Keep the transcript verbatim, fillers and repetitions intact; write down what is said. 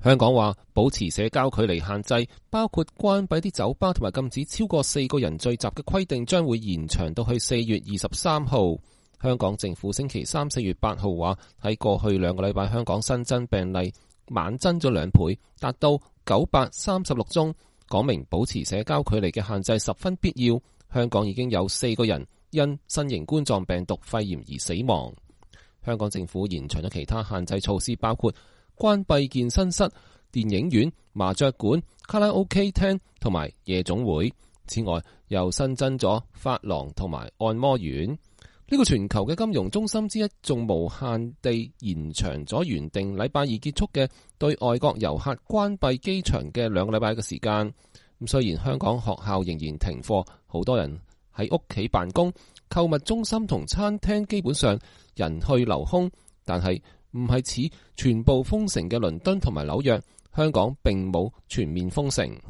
香港話保持社交距離限制，包括關閉啲酒吧同埋禁止超過四個人聚集嘅規定，將會延長到去四月二十三號。香港政府星期三四月八號話，喺過去兩個禮拜香港新增病例猛增咗兩倍，達到九百三十六宗，講明保持社交距離嘅限制十分必要。香港已經有四個人因新型冠狀病毒肺炎而死亡。香港政府延長咗其他限制措施，包括關閉健身室、電影院、麻雀館、卡拉 OK 廳同埋夜總會。此外，又新增咗髮廊同埋按摩院。呢個全球嘅金融中心之一，仲無限地延長咗原定禮拜二結束嘅對外國遊客關閉機場嘅兩個禮拜嘅時間。咁雖然香港學校仍然停課，好多人喺屋企辦公，購物中心同餐廳基本上人去樓空，但係唔係似全部封城嘅倫敦同埋紐約，香港並冇全面封城。